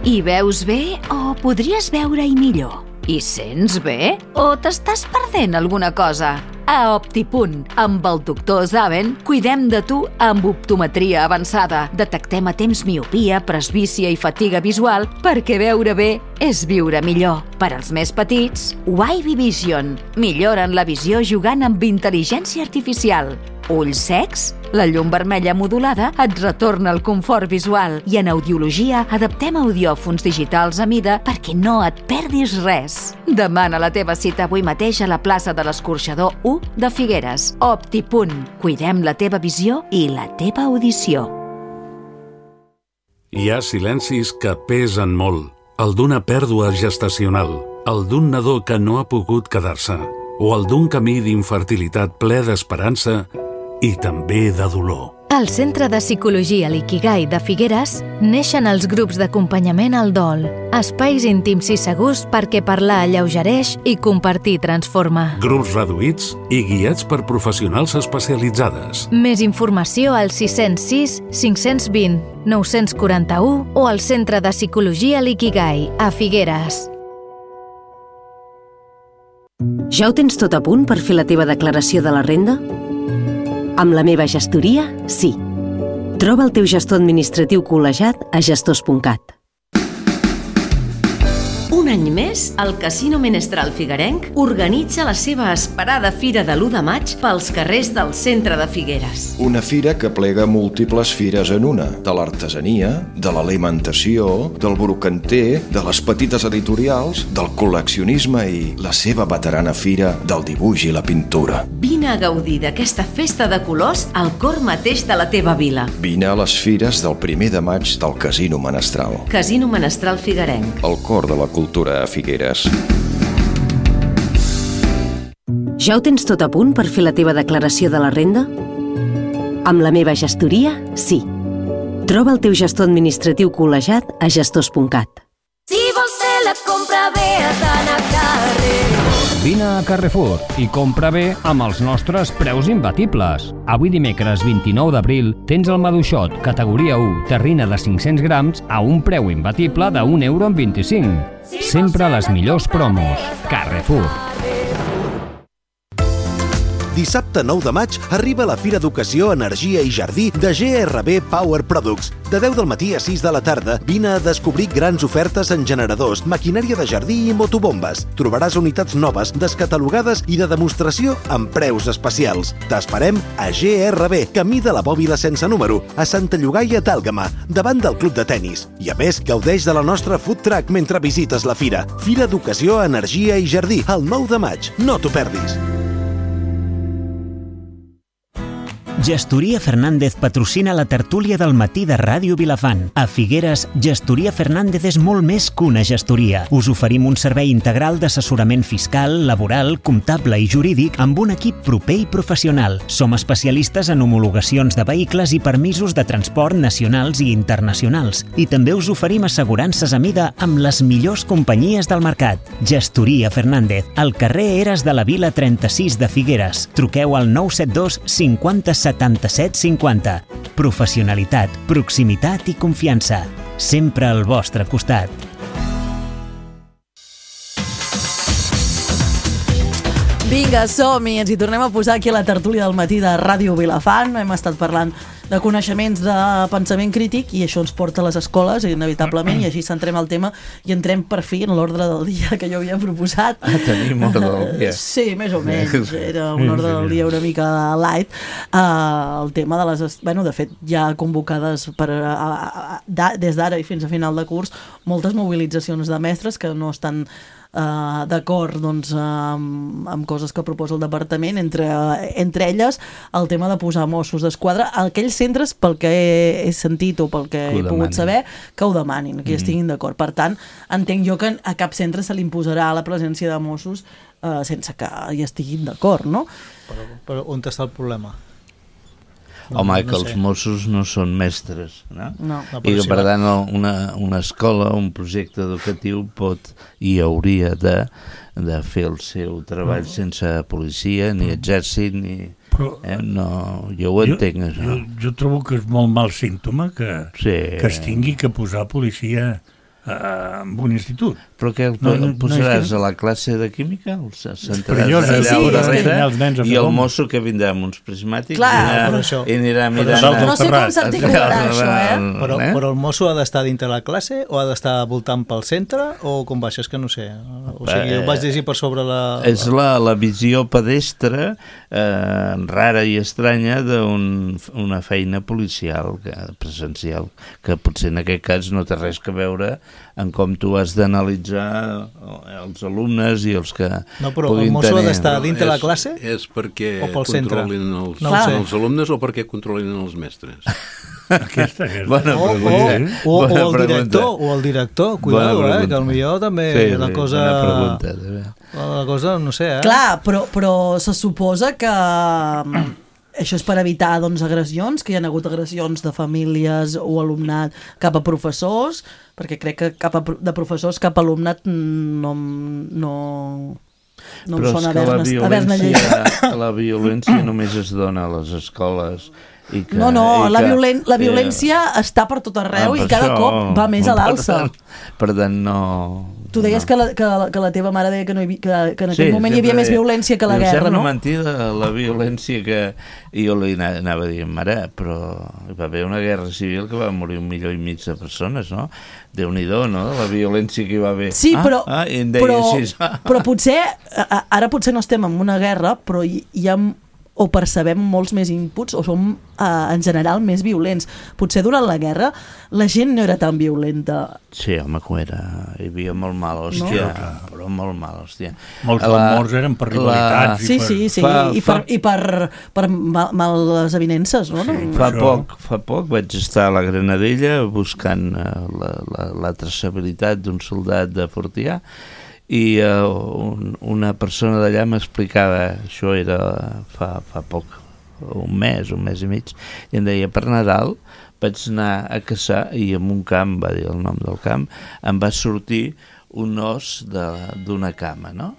S10: Hi veus bé o podries veure-hi millor? Hi sents bé o t'estàs perdent alguna cosa? A Optipunt, amb el doctor Zaven, cuidem de tu amb optometria avançada. Detectem a temps miopia, presbícia i fatiga visual perquè veure bé és viure millor. Per als més petits, Wavy Vision. Milloren la visió jugant amb intel·ligència artificial. Ulls secs? La llum vermella modulada et retorna el confort visual i en audiologia adaptem audiòfons digitals a mida perquè no et perdis res. Demana la teva cita avui mateix a la plaça de l'Escorxador 1 de Figueres. Optipunt. Cuidem la teva visió i la teva audició.
S8: Hi ha silencis que pesen molt. El d'una pèrdua gestacional, el d'un nadó que no ha pogut quedar-se, o el d'un camí d'infertilitat ple d'esperança i també de dolor.
S11: Al Centre de Psicologia L'Ikigai de Figueres neixen els grups d'acompanyament al dol, espais íntims i segurs perquè parlar alleugereix i compartir transforma.
S8: Grups reduïts i guiats per professionals especialitzades.
S11: Més informació al 606 520 941 o al Centre de Psicologia L'Ikigai a Figueres.
S12: Ja ho tens tot a punt per fer la teva declaració de la renda? Amb la meva gestoria, sí. Troba el teu gestor administratiu col·legiat a gestors.cat.
S13: Un any més, el Casino Menestral Figuerenc organitza la seva esperada Fira de l'1 de maig pels carrers del centre de Figueres.
S14: Una fira que plega múltiples fires en una, de l'artesania, de l'alimentació, del brocanter, de les petites editorials, del col·leccionisme i la seva veterana fira del dibuix i la pintura.
S13: Vine a gaudir d'aquesta festa de colors al cor mateix de la teva vila.
S14: Vine a les fires del 1 de maig del Casino Menestral.
S13: Casino Menestral Figuerenc.
S14: El cor de la cultura a Figueres.
S12: Ja ho tens tot a punt per fer la teva declaració de la renda? Amb la meva gestoria, sí. Troba el teu gestor administratiu col·legiat a gestors.cat.
S9: Si vols fer la compra bé has d'anar a carrer.
S15: Vine a Carrefour i compra bé amb els nostres preus imbatibles. Avui dimecres 29 d'abril tens el maduixot categoria 1 terrina de 500 grams a un preu imbatible de €1,25. Sempre les millors promos. Carrefour.
S16: Dissabte 9 de maig arriba la Fira d'Educació, Energia i Jardí de GRB Power Products. De 10 del matí a 6 de la tarda, vine a descobrir grans ofertes en generadors, maquinària de jardí i motobombes. Trobaràs unitats noves, descatalogades i de demostració amb preus especials. T'esperem a GRB, camí de la Bòbila sense número, a Santa Llogaia d'Àlgama, davant del club de tennis. I a més, gaudeix de la nostra food truck mentre visites la fira. Fira d'Educació, Energia i Jardí, el 9 de maig. No t'ho perdis.
S2: Gestoria Fernández patrocina la tertúlia del matí de Ràdio Vilafant. A Figueres, Gestoria Fernández és molt més que una gestoria. Us oferim un servei integral d'assessorament fiscal, laboral, comptable i jurídic amb un equip proper i professional. Som especialistes en homologacions de vehicles i permisos de transport nacionals i internacionals. I també us oferim assegurances a mida amb les millors companyies del mercat. Gestoria Fernández, al carrer Eres de la Vila 36 de Figueres. Truqueu al 972 50 77 50. Professionalitat, proximitat i confiança. sempre al vostre costat.
S3: Vinga, som-hi, ens hi tornem a posar aquí a la tertúlia del matí de Ràdio Vilafant. Hem estat parlant de coneixements de pensament crític i això ens porta a les escoles, inevitablement, i així centrem el tema i entrem per fi en l'ordre del dia que jo havia proposat.
S4: Tenim ordre del dia.
S3: Sí, més o menys. Era un ordre del dia una mica light. El tema de les... Bueno, de fet, ja convocades des d'ara i fins a final de curs moltes mobilitzacions de mestres que no estan d'acord doncs, amb coses que proposa el departament, entre elles el tema de posar Mossos d'Esquadra a aquells centres, pel que he sentit o pel que he pogut saber, que ho demanin, que hi estiguin d'acord. Per tant, entenc jo que a cap centre se li imposarà la presència de Mossos sense que hi estiguin d'acord, no?
S6: Però on està el problema?
S4: Home, que els Mossos no són mestres, no? I que per tant una escola, un projecte educatiu pot i hauria de fer el seu treball sense policia, ni exèrcit, ni... Jo ho entenc, això.
S5: Jo trobo que és molt mal símptoma que es tingui que posar policia en un institut.
S4: Però què el posaràs a la classe de química? El sentaràs allà darrere i el mosso que vindrà amb uns prismàtics i anirà mirant...
S3: No sé com s'articularà això,
S6: Però el mosso ha d'estar dintre la classe o ha d'estar voltant pel centre o com va? Això és que no sé. O sigui, ho vaig llegir per sobre la...
S4: És la visió pedestre rara i estranya d'una feina policial presencial, que potser en aquest cas no té res a veure en com tu has d'analitzar els alumnes i els que
S6: no, però el mosso ha d'estar dintre la classe
S7: és perquè
S6: o pel centre?
S7: Controlin els alumnes o perquè controlin els mestres?
S5: Aquesta és
S4: bona pregunta.
S6: O el director, cuidado, que potser també la cosa, no sé.
S3: Clar, però se suposa que això és per evitar agressions, que hi ha hagut agressions de famílies o alumnat cap a professors, perquè crec que de professors cap a alumnat no em sona haver-ne llegit.
S4: La violència només es dona a les escoles.
S3: La violència està per tot arreu i cada cop va més a l'alça.
S4: Per tant, no...
S3: Tu deies que la teva mare deia que en aquell moment hi havia més violència que la guerra, no?
S4: Sembla mentida la violència que... I jo li anava dient, mare, però hi va haver una guerra civil que va morir 1,5 milió de persones, no? Déu-n'hi-do, no? La violència que hi va haver.
S3: Sí, però potser, ara potser no estem en una guerra, però hi ha... o percebem molts més inputs o som en general més violents. Potser durant la guerra la gent no era tan violenta.
S4: Sí, home, que era. Hi havia molt mal, hòstia. No? Però molt mal, hòstia.
S5: Molts morts eren per rivalitats.
S3: I per males avinences, no?
S4: Fa poc vaig estar a la Granadella buscant la traçabilitat d'un soldat de Fortià i una persona d'allà m'explicava, això era fa poc, un mes i mig, i em deia, per Nadal vaig anar a caçar i en un camp, va dir el nom del camp, em va sortir un os d'una cama, no?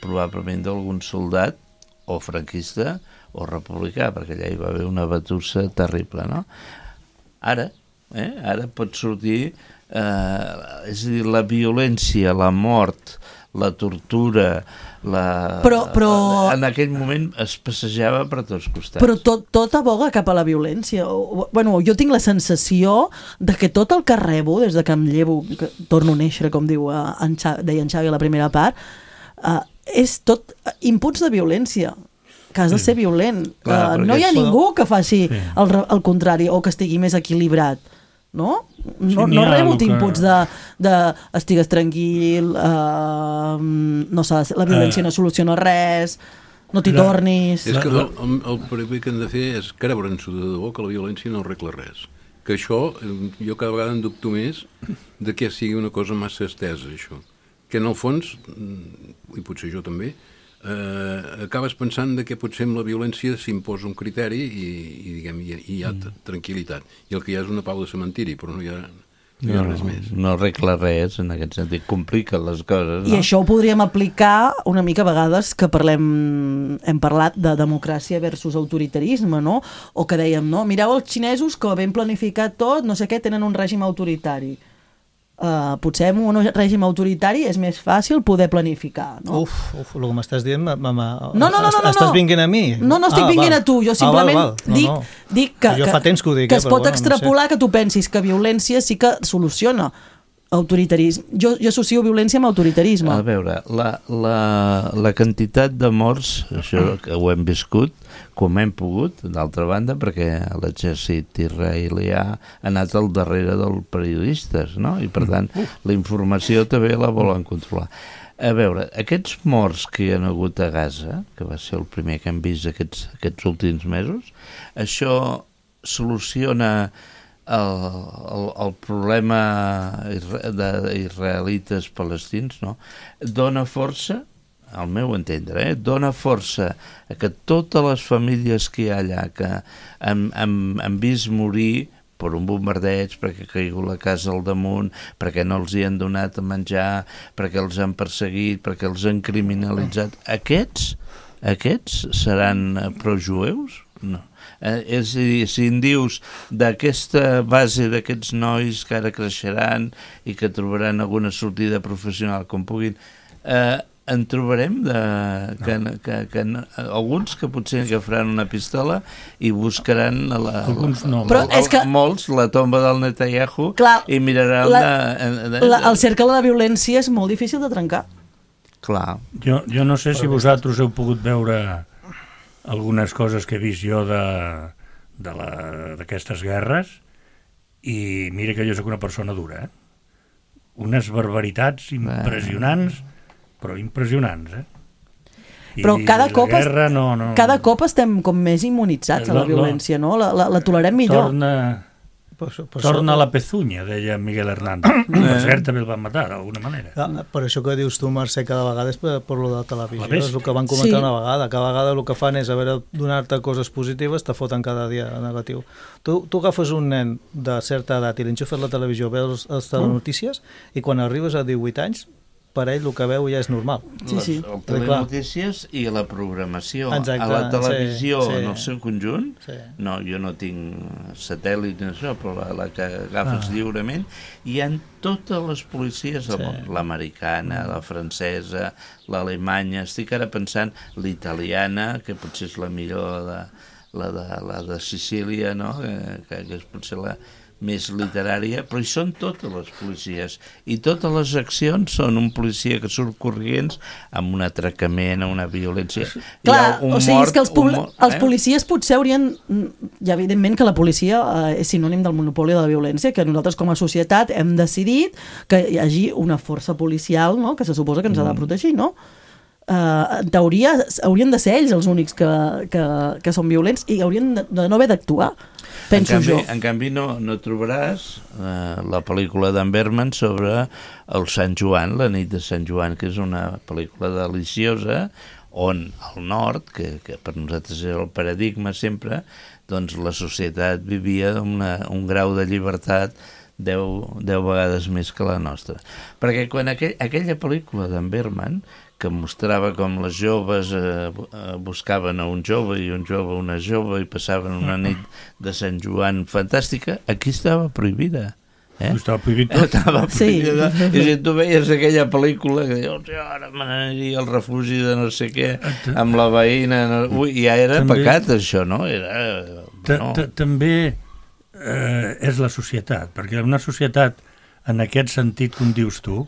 S4: Probablement d'algun soldat o franquista o republicà, perquè allà hi va haver una batussa terrible, no? Ara pot sortir és a dir, la violència, la mort, la tortura,
S3: però
S4: en aquell moment es passejava per tots costats.
S3: Però tot aboga cap a la violència. Bueno, jo tinc la sensació de que tot el que rebo, des de que em llevo, que torno a néixer, com deia en Xavi a la primera part, és tot inputs de violència, que has de ser violent. No hi ha ningú que faci el contrari o que estigui més equilibrat. No rebut inputs de estigues tranquil, la violència no soluciona res, no t'hi tornis.
S7: És que el primer que hem de fer és creure'ns-ho de debò, que la violència no arregla res. Que això, jo cada vegada en dubto més de que sigui una cosa massa estesa, això. Que en el fons, i potser jo també, acabes pensant que potser amb la violència s'imposa un criteri i hi ha tranquil·litat. I el que hi ha és una pau de cementiri, però no hi ha
S4: No arregla res, en aquest sentit, complica les coses.
S3: I això ho podríem aplicar una mica a vegades que hem parlat de democràcia versus autoritarisme, no? O que dèiem, no? Mireu els xinesos que ben planificat tot, no sé què, tenen un règim autoritari. Potser en un règim autoritari és més fàcil poder planificar, no?
S6: El que m'estàs dient
S3: no.
S6: Estàs vinguent a mi?
S3: No estic vinguent a tu, jo simplement dic que
S6: jo fa temps que ho dic,
S3: que es pot extrapolar que tu pensis que violència sí que soluciona autoritarisme. Jo associo violència amb autoritarisme.
S4: A veure, la quantitat de morts, això que ho hem viscut, com hem pogut, d'altra banda, perquè l'exèrcit israelià ha anat al darrere dels periodistes, no? I per tant, la informació també la volen controlar. A veure, aquests morts que hi ha hagut a Gaza, que va ser el primer que hem vist aquests últims mesos, això soluciona el problema d'israelites palestins, no? Dona força, al meu entendre, dona força a que totes les famílies que hi ha allà que han vist morir per un bombardeig, perquè ha caigut la casa al damunt, perquè no els hi han donat a menjar, perquè els han perseguit, perquè els han criminalitzat, aquests seran projueus? No. És a dir, si em dius d'aquesta base d'aquests nois que ara creixeran i que trobaran alguna sortida professional com puguin, en trobarem alguns que potser agafaran una pistola i buscaran molts la tomba del Netanyahu i miraran
S3: el cercle de violència és molt difícil de trencar.
S4: Clar.
S5: Jo no sé si vosaltres heu pogut veure algunes coses que he vist jo d'aquestes guerres, i mira que jo soc una persona dura, unes barbaritats impressionants, però impressionants,
S3: Però cada cop estem com més immunitzats a la violència, no? La tolerem millor.
S5: Torna la pezunya, deia Miguel Hernández. Per cert, també el van matar, d'alguna manera.
S6: Per això que dius tu, Mercè, cada vegada és per lo de televisió. És el que van comentar una vegada. Cada vegada el que fan és, a veure, donar-te coses positives, te foten cada dia negatiu. Tu agafes un nen de certa edat i l'enxufes la televisió, veus les telenotícies, i quan arribes a 18 anys, per ell el que veu ja és normal.
S3: Sí.
S4: El telenotícies i la programació. Exacte, a la televisió en el seu conjunt, no, jo no tinc satèl·lit ni això, però la que agafes lliurement, hi ha totes les policies del món, l'americana, la francesa, l'alemanya, estic ara pensant l'italiana, que potser és la millor, la de Sicília, no? Que és potser la més literària, però hi són totes les policies, i totes les accions són un policia que surt corrients amb un atracament, una violència.
S3: Clar, o sigui, és que els policies potser haurien... Ja, evidentment que la policia és sinònim del monopoli de la violència, que nosaltres com a societat hem decidit que hi hagi una força policial, no?, que se suposa que ens ha de protegir, no? En teoria haurien de ser ells els únics que són violents i haurien de no haver d'actuar, penso jo.
S4: En canvi no trobaràs la pel·lícula d'en Bergman sobre el Sant Joan, la nit de Sant Joan, que és una pel·lícula deliciosa on al nord, que per nosaltres és el paradigma sempre, doncs la societat vivia un grau de llibertat 10 vegades més que la nostra. Perquè quan aquella pel·lícula d'en Bergman, que mostrava com les joves buscaven a un jove i un jove a una jove i passaven una nit de Sant Joan fantàstica, aquí estava prohibida.
S5: Estava prohibit tot.
S4: Estava prohibida. I si tu veies aquella pel·lícula que dius, ara m'aniria al refugi de no sé què, amb la veïna... Ui, ja era pecat, això, no?
S5: També és la societat, perquè una societat, en aquest sentit, com dius tu,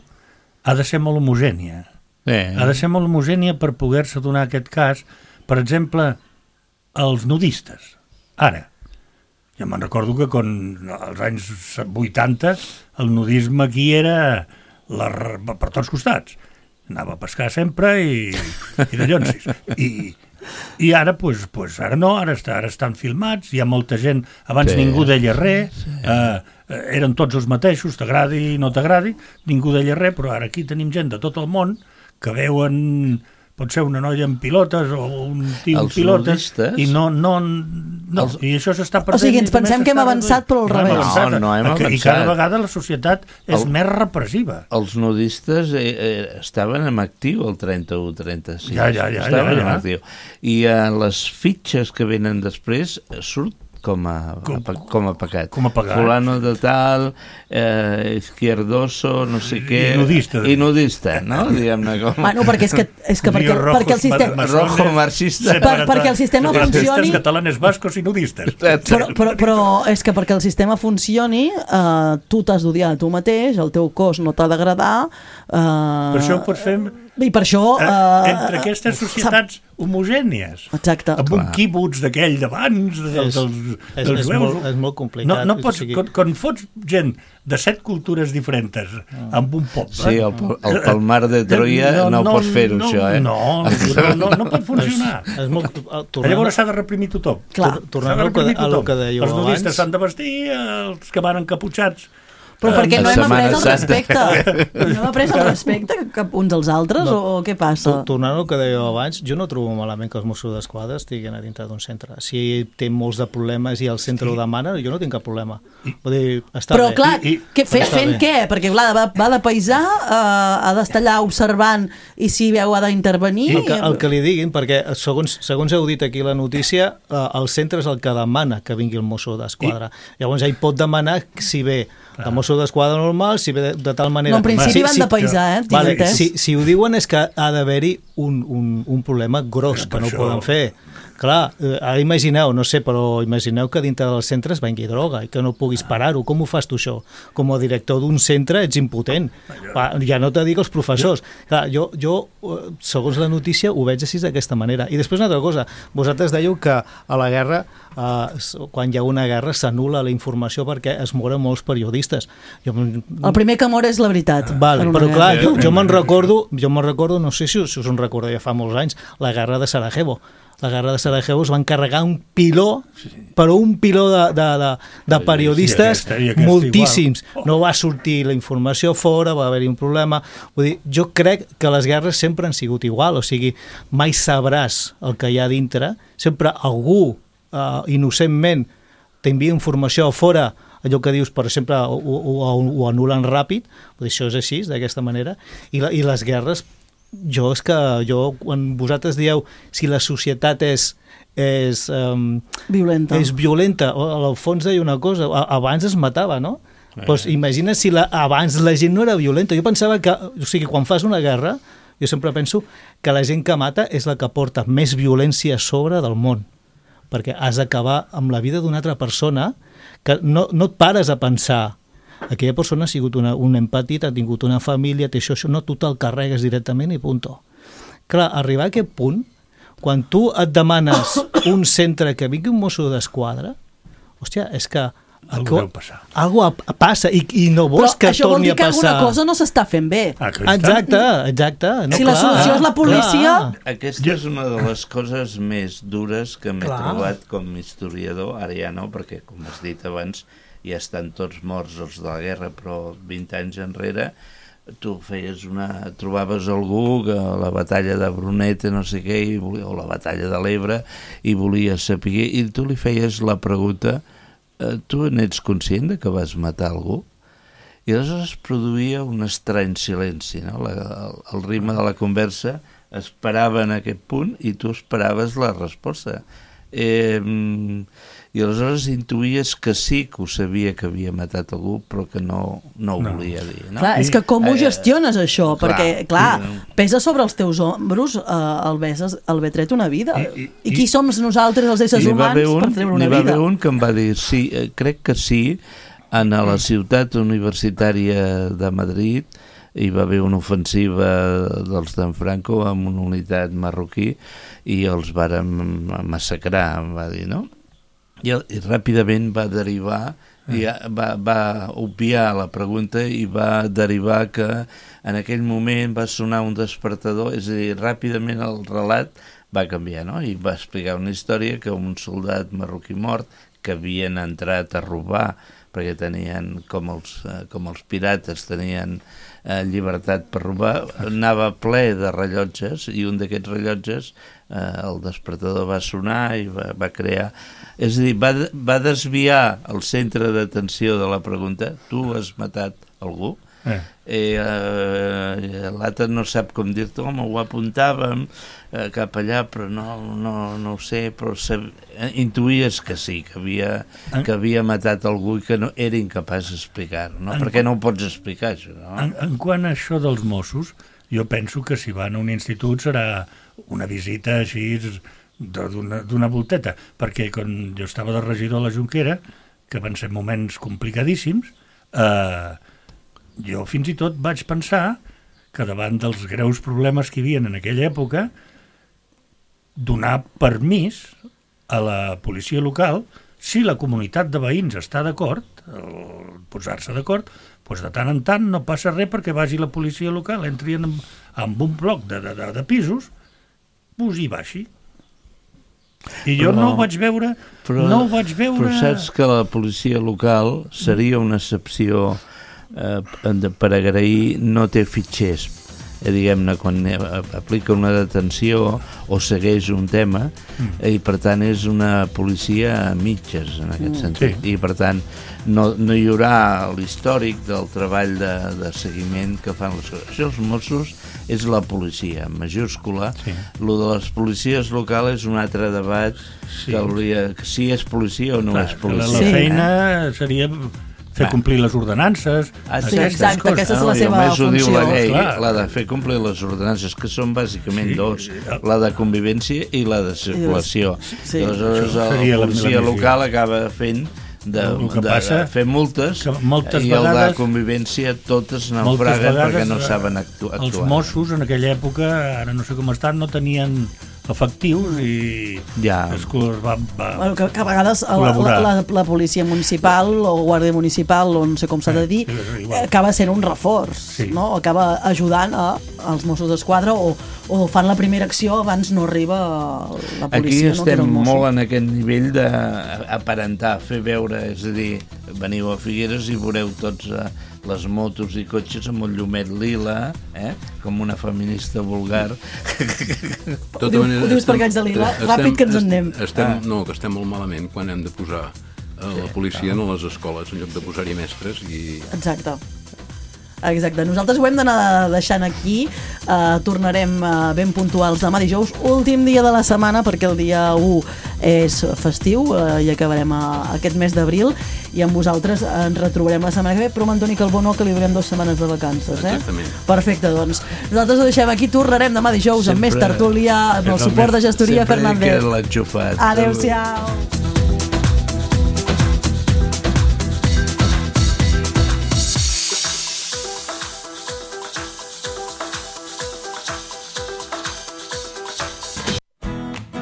S5: ha de ser molt homogènia. Ha de ser molt homogènia per poder-se donar aquest cas. Per exemple, els nudistes. Ara, jo me'n recordo que als anys 80 el nudisme aquí era per tots costats. Anava a pescar sempre i de llonsis. I ara, pues ara no, ara estan filmats, hi ha molta gent, abans ningú deia res, eren tots els mateixos, t'agradi o no t'agradi, ningú deia res, però ara aquí tenim gent de tot el món que veuen pot ser una noia amb pilotes o un tio amb pilotes, i i això s'està perdent.
S3: O sigui, ens pensem que hem avançat, però al revés.
S4: No hem avançat.
S5: I cada vegada la societat és més repressiva.
S4: Els nudistes estaven en actiu el 31-36. Estaven en actiu. I les fitxes que venen després surt com a pecat. Fulano de tal, izquierdoso, no sé què... I nudista, no? Diguem-ne com...
S3: Bueno, perquè és que perquè el sistema...
S4: Rojo marxista.
S3: Perquè el sistema funcioni...
S5: Catalanes, bascos i nudistes.
S3: Però és que perquè el sistema funcioni, tu t'has d'odiar a tu mateix, el teu cos no t'ha d'agradar...
S5: Per això ho pots fer...
S3: I per això...
S5: Entre aquestes societats homogènies.
S3: Exacte.
S5: Amb un quibuts d'aquell d'abans, dels jueus.
S6: És molt complicat.
S5: No pots, quan fots gent de 7 cultures diferents amb un poble...
S4: Sí, el Palmar de Troia no pots fer-ho, això, eh?
S5: No pot funcionar. Llavors s'ha de reprimir tothom.
S6: Tornant al que dèieu abans...
S5: Els nudistes s'han de vestir, els que van encaputxats...
S3: Però perquè no hem après el respecte. No hem après el respecte cap uns als altres o què passa?
S6: Tornant al que dèieu abans, jo no trobo malament que els Mossos d'Esquadra estiguin a dintre d'un centre. Si té molts de problemes i el centre ho demana, jo no tinc cap problema. Vull dir, està
S3: però
S6: bé.
S3: Clar, fent què? Perquè clar, va de paisà, ha d'estar allà observant i si veu ha d'intervenir...
S6: El que li diguin, perquè segons heu dit aquí la notícia, el centre és el que demana que vingui el Mosso d'Esquadra. Llavors ell pot demanar si ve de Mosso d'Esquadra normal, si ve de tal manera...
S3: No, en principi van de paisà,
S6: Vale, si ho diuen és que ha d'haver-hi un problema gros, que no ho poden fer. Clar, imagineu, no sé, però imagineu que dintre dels centres vengui droga i que no puguis parar-ho. Com ho fas tu això? Com a director d'un centre ets impotent. Ja no te dic els professors. Clar, jo, segons la notícia, ho veig així d'aquesta manera. I després una altra cosa, vosaltres dèieu que a la guerra, quan hi ha una guerra, s'anul·la la informació perquè es moren molts periodistes.
S3: El primer que mor és la veritat.
S6: Però clar, jo me'n recordo, no sé si us en recordeu, ja fa molts anys, la guerra de Sarajevo. La guerra de Sarajevo es van carregar un piló, però un piló de periodistes, moltíssims. No va sortir la informació fora, va haver-hi un problema. Vull dir, jo crec que les guerres sempre han sigut igual, o sigui, mai sabràs el que hi ha dintre, sempre algú, innocentment, t'envia informació fora, allò que dius, per exemple, ho anulen ràpid, això és així, d'aquesta manera, i les guerres, quan vosaltres dieu si la societat és violenta, al fons deia una cosa, abans es matava, no? Pues imagina si abans la gent no era violenta. Jo pensava que, o sigui, quan fas una guerra, jo sempre penso que la gent que mata és la que porta més violència a sobre del món, perquè has d'acabar amb la vida d'una altra persona que no et pares a pensar aquella persona ha sigut un empatit, ha tingut una família, té això, no, tu te'l carregues directament i punto. Clar, arribar a aquest punt, quan tu et demanes un centre que vingui un Mosso d'Esquadra, hòstia, és que
S5: algú deu passar.
S6: Algú passa i no vols que torni a passar. Però
S3: això vol dir que alguna cosa no s'està fent bé.
S6: Exacte.
S3: No, si la solució és la policia...
S4: Aquesta és una de les coses més dures que m'he trobat com a historiador, ara ja no, perquè, com has dit abans, ja estan tots morts els de la guerra, però 20 anys enrere tu trobaves algú que a la batalla de Brunete, no sé què, o la batalla de l'Ebre, i volia saber, i tu li feies la pregunta, tu n'ets conscient de que vas matar algú? I aleshores es produïa un estrany silenci, no? El ritme de la conversa esperava en aquest punt i tu esperaves la resposta. I aleshores intuïes que sí que ho sabia que havia matat algú, però que no ho volia dir. No?
S3: Clar, és que com ho gestiones això? Perquè, clar, pesa sobre els teus ombros haver tret una vida. I qui som nosaltres, els éssers humans, per treure una vida?
S4: N'hi va haver un que em va dir, sí, crec que sí, a la ciutat universitària de Madrid hi va haver una ofensiva dels d'en Franco amb una unitat marroquí i els varen massacrar, va dir, no? I ràpidament va derivar, va obviar la pregunta i va derivar que en aquell moment va sonar un despertador, és a dir, ràpidament el relat va canviar, no? I va explicar una història que un soldat marroquí mort que havien entrat a robar perquè tenien, com els pirates, tenien llibertat per robar, anava ple de rellotges, i un d'aquests rellotges, el despertador va sonar i va crear... És a dir, va desviar el centre d'atenció de la pregunta: tu has matat algú? L'altre no sap com dir-te, home, ho apuntàvem cap allà, però no ho sé, però intuïes que sí, que havia matat algú i que no era incapaç d'explicar-ho, no? Perquè no ho pots explicar, això, no?
S5: En quant a això dels Mossos, jo penso que si van a un institut serà una visita així d'una volteta, perquè quan jo estava de regidor a la Jonquera, que van ser moments complicadíssims, jo fins i tot vaig pensar que davant dels greus problemes que hi havia en aquella època, donar permís a la policia local, si la comunitat de veïns està d'acord, posar-se d'acord, doncs de tant en tant no passa res perquè vagi la policia local, entri en un bloc de pisos, pugi i baixi. I jo no ho vaig veure...
S4: Però saps que la policia local seria una excepció per agrair, no té fitxers, diguem-ne, quan aplica una detenció o segueix un tema, i per tant és una policia a mitges en aquest sentit, i per tant no hi haurà l'històric del treball de seguiment que fan les coses. Això els Mossos és la policia, en majúscula. Lo de les policies locals és un altre debat, que si és policia o no és policia.
S5: La feina seria fer complir les ordenances.
S3: Exacte, aquesta és la seva funció.
S4: Ho diu la llei, la de fer complir les ordenances, que són bàsicament dos, la de convivència i la de circulació. Aleshores, la policia local acaba fent de fer multes, i el de convivència totes naufraguen perquè no saben actuar.
S5: Els Mossos en aquella època, ara no sé com estan, no tenien efectius i es va
S3: que a vegades la policia municipal o guàrdia municipal, o no sé com s'ha de dir, acaba sent un reforç, no? Acaba ajudant als Mossos d'Esquadra, o fan la primera acció abans no arriba la policia.
S4: Aquí estem molt en aquest nivell d'aparentar, fer veure, és a dir, veniu a Figueres i veureu tots les motos i cotxes amb un llumet lila, com una feminista vulgar.
S3: Ho dius perquè haig de lila? Ràpid, que ens en anem.
S7: No, que estem molt malament quan hem de posar la policia a les escoles en lloc de posar-hi mestres.
S3: Exacte. Nosaltres ho hem d'anar deixant aquí. Tornarem ben puntuals demà dijous, últim dia de la setmana, perquè el dia 1 és festiu i acabarem aquest mes d'abril, i amb vosaltres ens retrobarem la setmana que ve, però amb Antoni Calbó no, que li donem 2 setmanes de vacances.
S7: Exactament.
S3: Perfecte, doncs nosaltres ho deixem aquí, tornarem demà dijous amb més tertúlia, amb el suport de Gestoria Fernández.
S4: Sempre que l'enxufat.
S3: Adéu-siau.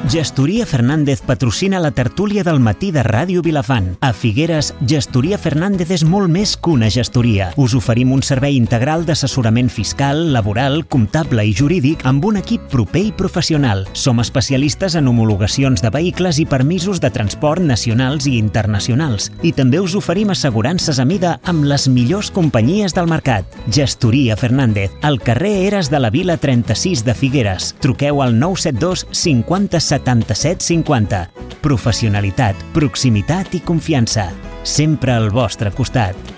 S2: Gestoria Fernández patrocina la tertúlia del matí de Ràdio Vilafant. A Figueres, Gestoria Fernández és molt més que una gestoria. Us oferim un servei integral d'assessorament fiscal, laboral, comptable i jurídic amb un equip proper i professional. Som especialistes en homologacions de vehicles i permisos de transport nacionals i internacionals. I també us oferim assegurances a mida amb les millors companyies del mercat. Gestoria Fernández, al carrer Eres de la Vila 36 de Figueres. Truqueu al 972 50 77 50. Professionalitat, proximitat i confiança. Sempre al vostre costat.